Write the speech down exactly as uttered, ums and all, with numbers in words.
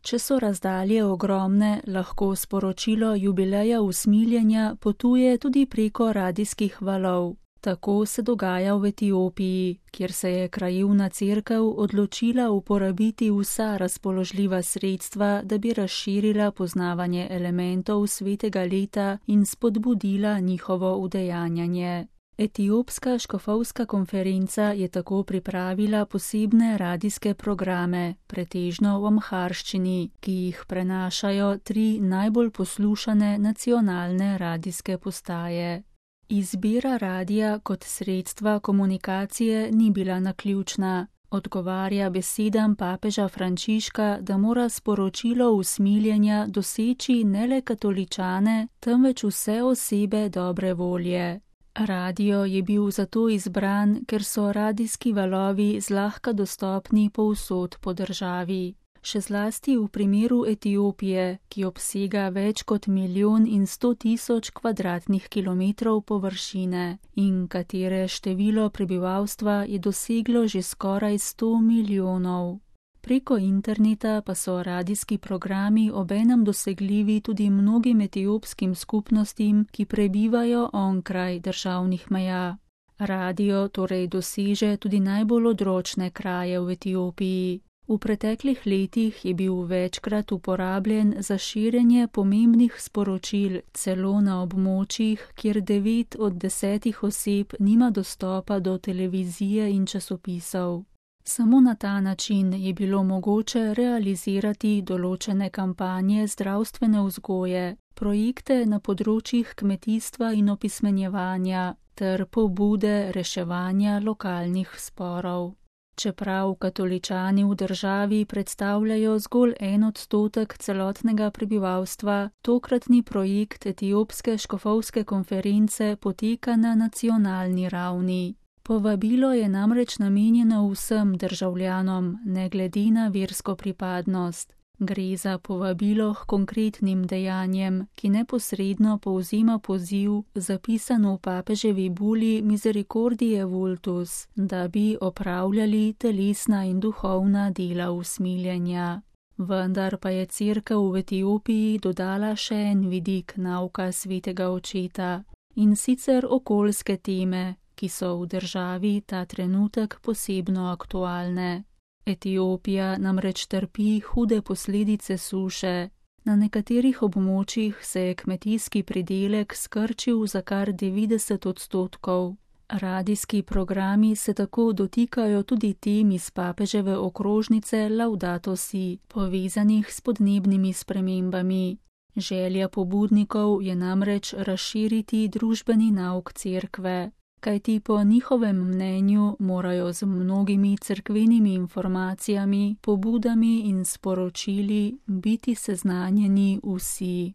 Če so razdalje ogromne, lahko sporočilo jubileja usmiljenja potuje tudi preko radijskih valov. Tako se dogaja v Etiopiji, kjer se je krajevna cerkev odločila uporabiti vsa razpoložljiva sredstva, da bi razširila poznavanje elementov svetega leta in spodbudila njihovo udejanjanje. Etiopska škofovska konferenca je tako pripravila posebne radijske programe, pretežno v amharščini, ki jih prenašajo tri najbolj poslušane nacionalne radijske postaje. Izbira radija kot sredstva komunikacije ni bila naključna. Odgovarja besedam papeža Frančiška, da mora sporočilo usmiljenja doseči ne le katoličane, temveč vse osebe dobre volje. Radio je bil zato izbran, ker so radijski valovi zlahka dostopni povsod po državi. Še zlasti v primeru Etiopije, ki obsega več kot milijon in sto tisoč kvadratnih kilometrov površine in katere število prebivalstva je doseglo že skoraj sto milijonov. Preko interneta pa so radijski programi obenem dosegljivi tudi mnogim etiopskim skupnostim, ki prebivajo onkraj državnih meja. Radio torej doseže tudi najbolj odročne kraje v Etiopiji. V preteklih letih je bil večkrat uporabljen za širjenje pomembnih sporočil celo na območjih, kjer devet od desetih oseb nima dostopa do televizije in časopisov. Samo na ta način je bilo mogoče realizirati določene kampanje zdravstvene vzgoje, projekte na področjih kmetijstva in opismenjevanja ter pobude reševanja lokalnih sporov. Čeprav katoličani v državi predstavljajo zgolj en odstotek celotnega prebivalstva, tokratni projekt Etiopske škofovske konference poteka na nacionalni ravni. Povabilo je namreč namenjeno vsem državljanom, ne glede na versko pripadnost. Gre za povabilo k konkretnim dejanjem, ki neposredno povzema poziv, zapisan v papeževi buli Misericordiae Vultus, da bi opravljali telesna in duhovna dela usmiljenja. Vendar pa je cerkev v Etiopiji dodala še en vidik nauka svetega očeta, in sicer okoljske teme, ki so v državi ta trenutek posebno aktualne. Etiopija namreč trpi hude posledice suše. Na nekaterih območjih se je kmetijski pridelek skrčil za kar devetdeset odstotkov. Radijski programi se tako dotikajo tudi tem iz papeževe okrožnice Laudato Si, povezanih s podnebnimi spremembami. Želja pobudnikov je namreč razširiti družbeni nauk cerkve. Kajti po njihovem mnenju morajo z mnogimi cerkvenimi informacijami, pobudami in sporočili biti seznanjeni vsi.